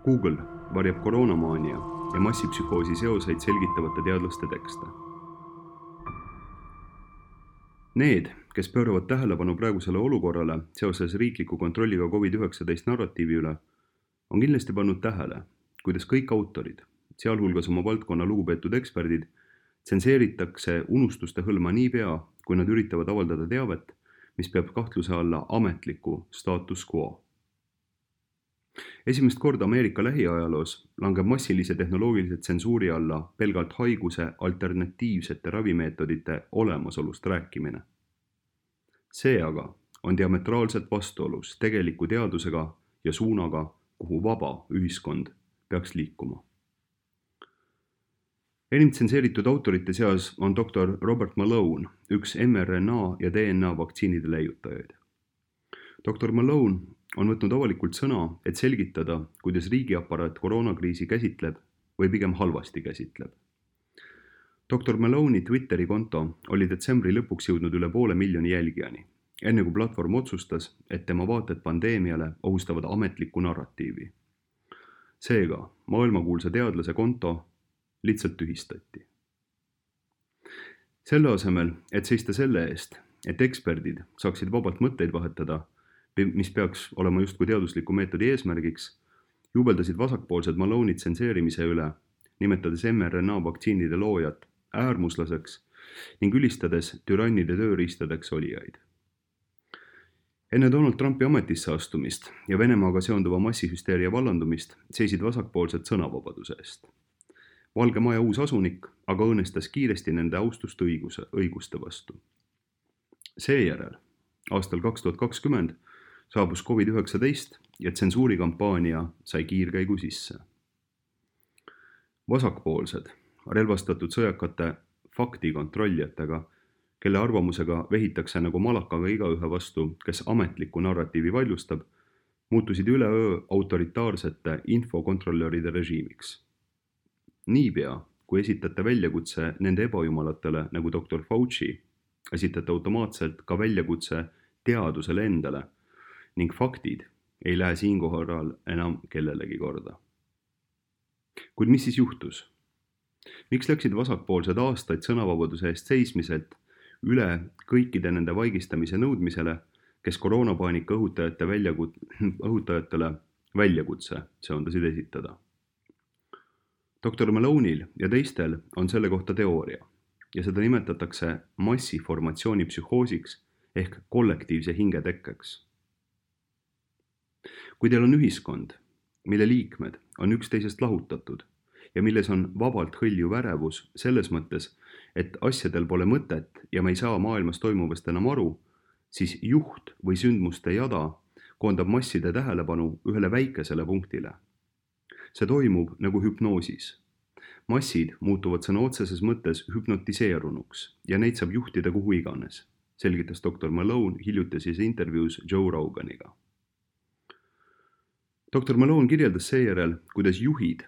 Google varjab koroonamaania ja massipsühhoosi seoseid selgitavate teadlaste tekste. Need, kes pööravad tähelepanu praegusele olukorrale seoses riikliku kontrolliga COVID-19 narratiivi üle, on kindlasti pannud tähele, kuidas kõik autorid, sealhulgas oma valdkonna lugupeetud eksperdid, tsenseeritakse unustuste hõlma niipea, kui nad üritavad avaldada teavet, mis peab kahtluse alla ametliku status quo. Esimest korda Ameerika lähiajaloos langeb massilise tehnoloogilise tsensuuri alla pelgalt haiguse alternatiivsete ravimeetodite olemasolust rääkimine. See aga on diametraalselt vastuolus tegeliku teadusega ja suunaga, kuhu vaba ühiskond peaks liikuma. Enim tsenseeritud autorite seas on doktor Robert Malone, üks mRNA ja DNA vaktsiinide leiutajaid. Doktor Malone on võtnud avalikult sõna, et selgitada, kuidas riigiaparaat koroonakriisi käsitleb või pigem halvasti käsitleb. Doktor Malone'i Twitteri konto oli detsembri lõpuks jõudnud üle 500,000 jälgijani, enne kui platvorm otsustas, et tema vaated pandeemiale ohustavad ametlikku narratiivi. Seega, maailmakuulsa teadlase konto lihtsalt tühistati. Selle asemel, et seista selle eest, et eksperdid saaksid vabalt mõtteid vahetada, mis peaks olema justkui teadusliku meetodi eesmärgiks, jubeldasid vasakpoolsed Malone'i tsenseerimise üle, nimetades mRNA vaktsiinide loojat äärmuslaseks ning ülistades türannide tööriistadeks olijaid. Enne Donald Trumpi ametisse astumist ja Venemaaga seonduva massihüsteeria vallandumist seisid vasakpoolsed sõnavabaduse eest. Valge Maja uus asunik aga õõnestas kiiresti nende austust õiguste vastu. Seejärel, aastal 2020, saabus COVID-19 ja tsensuurikampaania sai kiirkäigu sisse. Vasakpoolsed, relvastatud sõjakate faktikontrollijatega, kelle arvamusega vehitakse nagu malakaga igaühe vastu, kes ametliku narratiivi vaidlustab, muutusid üleöö autoritaarsete infokontrolöride režiimiks. Niipea, kui esitate väljakutse nende ebajumalatele nagu doktor Fauci, esitate automaatselt ka väljakutse teadusele endale ning faktid ei lähe siinkohal enam kellelegi korda. Kuid mis siis juhtus? Miks läksid vasakpoolsed aastaid sõnavabaduse eest seismiselt üle kõikide nende vaigistamise nõudmisele, kes koroonapaanika õhutajatele väljakutse söandasid esitada? Doktor Malone'il ja teistel on selle kohta teooria ja seda nimetatakse massiformatsiooni psühhoosiks ehk kollektiivse hingetekkeks. Kui teil on ühiskond, mille liikmed on üksteisest lahutatud ja milles on vabalt hõljuv ärevus selles mõttes, et asjadel pole mõtet ja me ei saa maailmas toimuvast enam aru, siis juht või sündmuste jada koondab masside tähelepanu ühele väikesele punktile. See toimub nagu hüpnoosis. Massid muutuvad sõna otseses mõttes hüpnotiseerunuks ja neid saab juhtida kuhu iganes, selgitas doktor Malone hiljutises intervjuus Joe Roganiga. Doktor Malone kirjeldas seejärel, kuidas juhid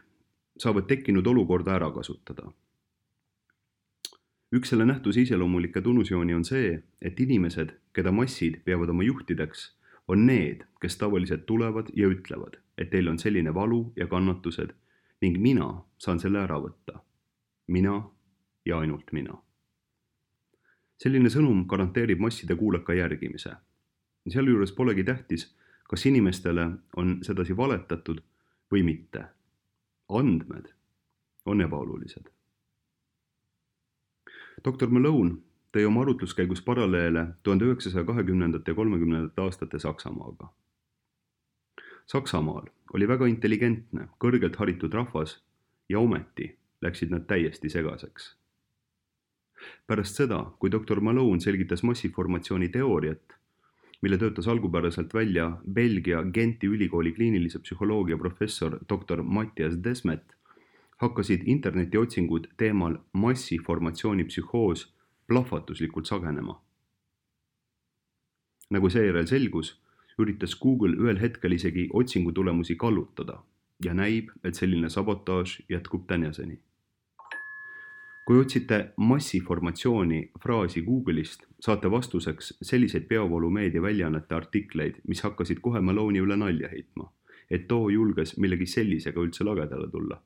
saavad tekkinud olukorda ära kasutada. Üks selle nähtuse iseloomulikke tunnusjooni on see, et inimesed, keda massid peavad oma juhtideks, on need, kes tavaliselt tulevad ja ütlevad, et teil on selline valu ja kannatused ning mina saan selle ära võtta. Mina ja ainult mina. Selline sõnum garanteerib masside kuuleka järgimise. Sealjuures polegi tähtis, kas inimestele on sedasi valetatud või mitte. Andmed on ebaolulised. Doktor Malone tõi oma arutluskäigus paralleele 1920. ja 30. aastate Saksamaaga. Saksamaal oli väga intelligentne, kõrgelt haritud rahvas ja ometi läksid nad täiesti segaseks. Pärast seda, kui doktor Malone selgitas massiformatsiooni teooriat, mille töötas algupäraselt välja Belgia Genti ülikooli kliinilise psühholoogia professor doktor Matthias Desmet, hakkasid internetiotsingud teemal massiformatsiooni psühhoos plahvatuslikult sagenema. Nagu seejärel selgus, üritas Google ühel hetkel isegi otsingutulemusi kallutada ja näib, et selline sabotaaž jätkub tänaseni. Kui otsite massiformatsiooni fraasi Google'ist, saate vastuseks selliseid peavoolumeedia väljaannete artikleid, mis hakkasid kohe Malone'i üle nalja heitma. et too julges millegi sellisega üldse lagedale tulla.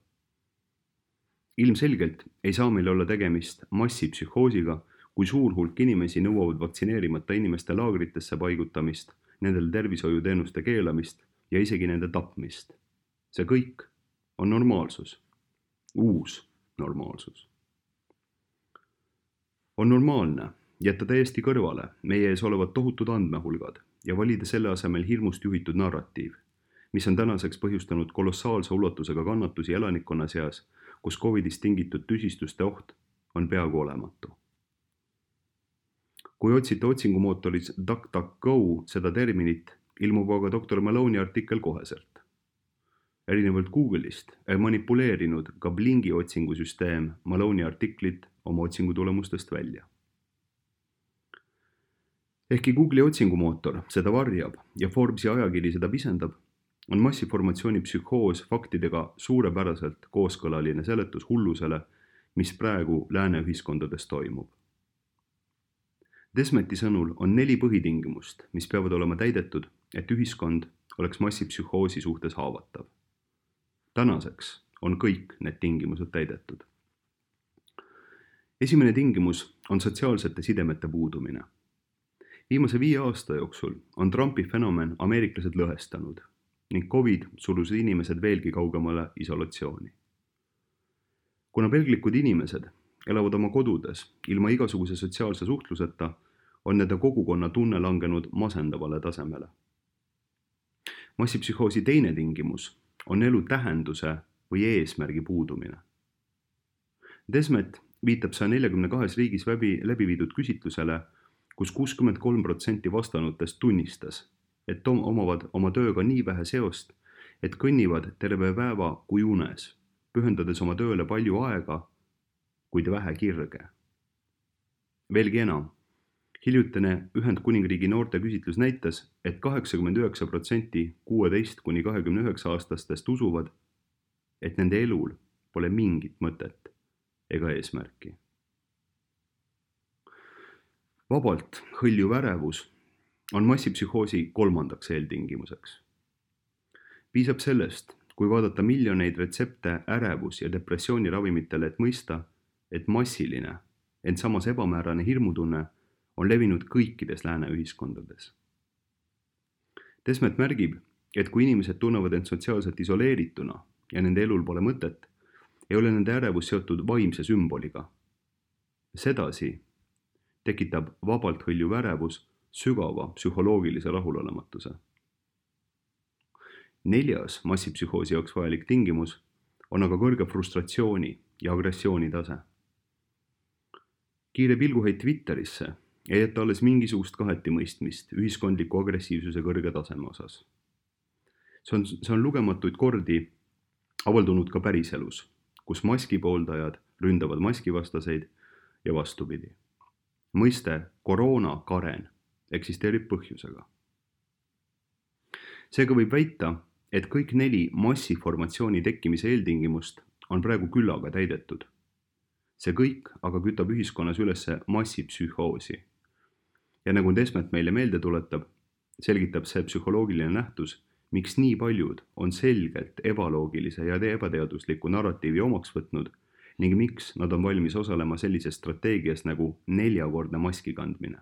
Ilmselgelt ei saa meil olla tegemist massipsühhoosiga, kui suur hulk inimesi nõuavad vaktsineerimata inimeste laagritesse paigutamist, nendele tervishoiuteenuste keelamist ja isegi nende tapmist. See kõik on normaalsus. Uus normaalsus. On normaalne jätta täiesti kõrvale meie ees olevad tohutud andmehulgad ja valida selle asemel hirmust juhitud narratiiv, mis on tänaseks põhjustanud kolossaalse ulatusega kannatusi elanikkonna seas, kus COVIDist tingitud tüsistuste oht on peaaegu olematu. Kui otsite otsingumootoris DuckDuckGo seda terminit, ilmub aga Dr. Maloney artikkel koheselt. Erinevalt Google'ist ei manipuleerinud ka Blingi otsingusüsteem Maloney artiklit oma otsingutulemustest välja. Ehkki Google'i otsingumootor seda varjab ja Forbesi ajakiri seda pisendab, on massiformatsiooni psühhoos faktidega suurepäraselt kooskõlaline seletus hullusele, mis praegu lääne ühiskondades toimub. Desmeti sõnul on 4 põhitingimust, mis peavad olema täidetud, et ühiskond oleks massipsühhoosi suhtes haavatav. Tänaseks on kõik need tingimused täidetud. Esimene tingimus on sotsiaalsete sidemete puudumine. Viimase 5 aasta jooksul on Trumpi fenomen ameeriklased lõhestanud ning COVID surus inimesed veelgi kaugemale isolatsiooni. Kuna pelglikud inimesed elavad oma kodudes ilma igasuguse sotsiaalse suhtluseta, on nende kogukonna tunne langenud masendavale tasemele. Massipsühhoosi teine tingimus on elu tähenduse või eesmärgi puudumine. Desmet viitab 142 riigis läbi viidud küsitlusele, kus 63% vastanutest tunnistas, et omavad oma tööga nii vähe seost, et kõnnivad terve päeva kui unes, pühendades oma tööle palju aega, kuid vähe kirge. Veelgi enam, hiljutine Ühendkuningriigi noorte küsitlus näitas, et 89% 16–29 aastastest usuvad, et nende elul pole mingit mõtet ega eesmärki. Vabalt hõljuv ärevus on massipsühhoosi 3. eeltingimuseks. Piisab sellest, kui vaadata miljoneid retsepte ärevus- ja depressiooniravimitele, et mõista, et massiline, ent samas ebamäärane hirmutunne on levinud kõikides lääne ühiskondades. Desmet märgib, et kui inimesed tunnevad end sotsiaalselt isoleerituna ja nende elul pole mõtet, ei ole nende ärevus seotud vaimse sümboliga. Sedasi tekitab vabalt hõljuv ärevus sügava psühholoogilise rahulolematuse. 4. massipsühhoosi jaoks vajalik tingimus on aga kõrge frustratsiooni ja agressiooni tase. Kiire pilguheit Twitterisse ei jäta alles mingisugust kahetimõistmist ühiskondliku agressiivsuse kõrge taseme osas. See on lugematuid kordi avaldunud ka päriselus, kus maskipooldajad ründavad maskivastaseid ja vastupidi. Mõiste koroonakaren eksisteerib põhjusega. Seega võib väita, et kõik 4 massiformatsiooni tekkimise eeltingimust on praegu küllaga täidetud. See kõik aga kütab ühiskonnas ülesse massipsühhoosi. Ja nagu Desmet meile meelde tuletab, selgitab see psühholoogiline nähtus, miks nii paljud on selgelt ebaloogilise ja ebateadusliku narratiivi omaks võtnud ning miks nad on valmis osalema sellises strateegias nagu 4-kordne maski kandmine.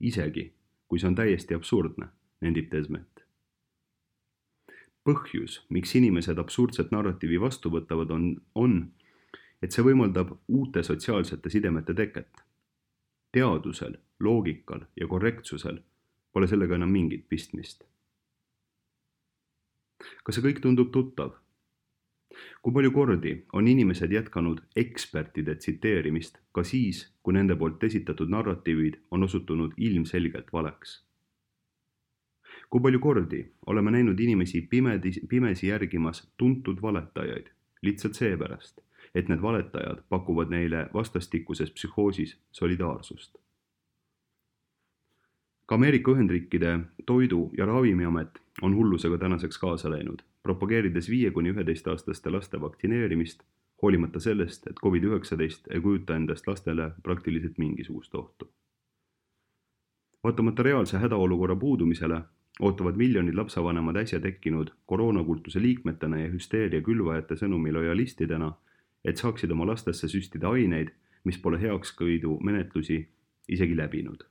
Isegi, kui see on täiesti absurdne, nendib Desmet. Põhjus, miks inimesed absurdset narratiivi vastu võtavad, on, et see võimaldab uute sotsiaalsete sidemete teket. Teadusel, loogikal ja korrektsusel pole sellega enam mingit pistmist. Kas see kõik tundub tuttav? Kui palju kordi on inimesed jätkanud ekspertide tsiteerimist ka siis, kui nende poolt esitatud narratiivid on osutunud ilmselgelt valeks? Kui palju kordi oleme näinud inimesi pimesi järgimas tuntud valetajaid, lihtsalt seepärast, et need valetajad pakuvad neile vastastikuses psühhoosis solidaarsust? Ka Ameerika Ühendriikide Toidu- ja Ravimiamet on hullusega tänaseks kaasa läinud, propageerides 5–11-aastaste laste vaktsineerimist, hoolimata sellest, et COVID-19 ei kujuta endast lastele praktiliselt mingisugust ohtu. Vaatamata reaalse hädaolukorra puudumisele ootavad miljonid lapsevanemad äsja tekkinud koroonakultuse liikmetena ja hüsteeria külvajate sõnumi lojalistidena, et saaksid oma lastesse süstida aineid, mis pole heakskiidu menetlusi isegi läbinud.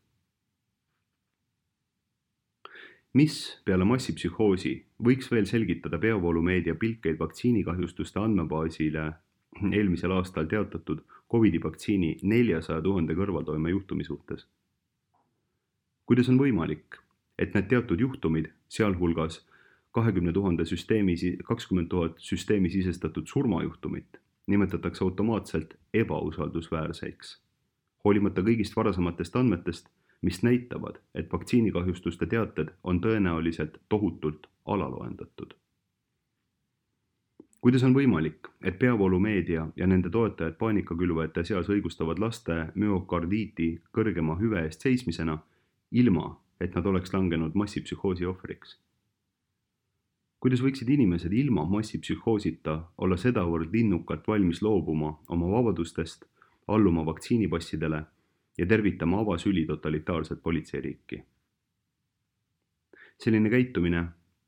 Mis peale massipsühhoosi võiks veel selgitada peavoolumeedia pilkeid vaktsiinikahjustuste andmebaasile eelmisel aastal teatatud COVID-vaktsiini 400 000 kõrvaltoime juhtumi suhtes? Kuidas on võimalik, et need teatud juhtumid, sealhulgas 20 000 süsteemi sisestatud surmajuhtumit, nimetatakse automaatselt ebausaldusväärseks, hoolimata kõigist varasematest andmetest, mis näitavad, et vaktsiinikahjustuste teated on tõenäoliselt tohutult alaloendatud. Kuidas on võimalik, et peavoolumeedia ja nende toetajad paanikakülvajate seas õigustavad laste müokardiiti kõrgema hüve eest seismisena, ilma et nad oleks langenud massipsühhoosi ohvriks? Kuidas võiksid inimesed ilma massipsühhoosita olla sedavõrd linnukalt valmis loobuma oma vabadustest, alluma vaktsiinipassidele ja tervitama avasüli totalitaarset politseiriiki? Selline käitumine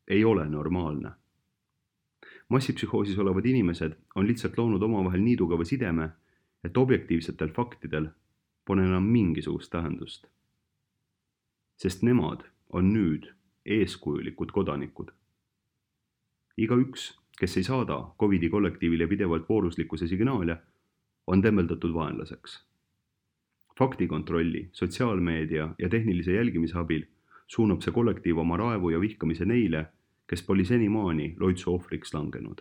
ei ole normaalne. Massipsühhoosis olevad inimesed on lihtsalt loonud omavahel nii tugeva sideme, et objektiivsetel faktidel pole enam mingisugust tähendust. Sest nemad on nüüd eeskujulikud kodanikud. Igaüks, kes ei saada COVID-i kollektiivile pidevalt vooruslikkuse signaale, on tembeldatud vaenlaseks. Faktikontrolli, sotsiaalmeedia ja tehnilise jälgimise abil suunab see kollektiiv oma raevu ja vihkamise neile, kes pole senimaani loitsu ohvriks langenud.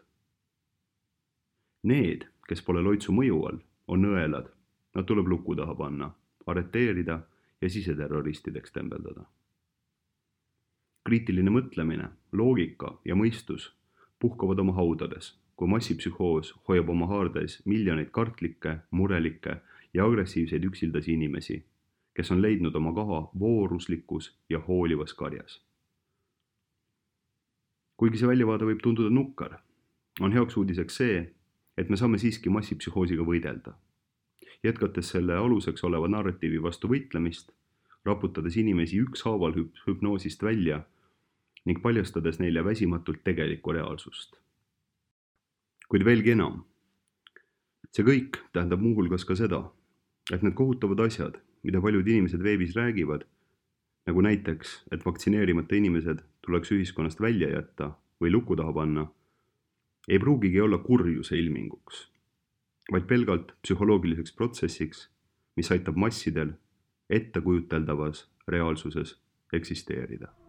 Need, kes pole loitsu mõju all, on õelad, nad tuleb luku taha panna, arreteerida ja siseterroristideks tembeldada. Kriitiline mõtlemine, loogika ja mõistus puhkavad oma haudades, kui massipsühhoos hoiab oma haardes miljoneid kartlikke, murelikke ja agressiivseid üksildasi inimesi, kes on leidnud oma koha vooruslikus ja hoolivas karjas. Kuigi see väljavaade võib tunduda nukkar, on heaks uudiseks see, et me saame siiski massipsühhoosiga võidelda. Jätkates selle aluseks oleva narratiivi vastu võitlemist, raputades inimesi ükshaaval hüpnoosist välja ning paljastades neile väsimatult tegelikku reaalsust. Kuid veelgi enam, see kõik tähendab muuhulgas ka seda, et need kohutavad asjad, mida paljud inimesed veebis räägivad, nagu näiteks, et vaktsineerimata inimesed tuleks ühiskonnast välja jätta või luku taha panna, ei pruugigi olla kurjuse ilminguks, vaid pelgalt psühholoogiliseks protsessiks, mis aitab massidel ettekujuteldavas reaalsuses eksisteerida.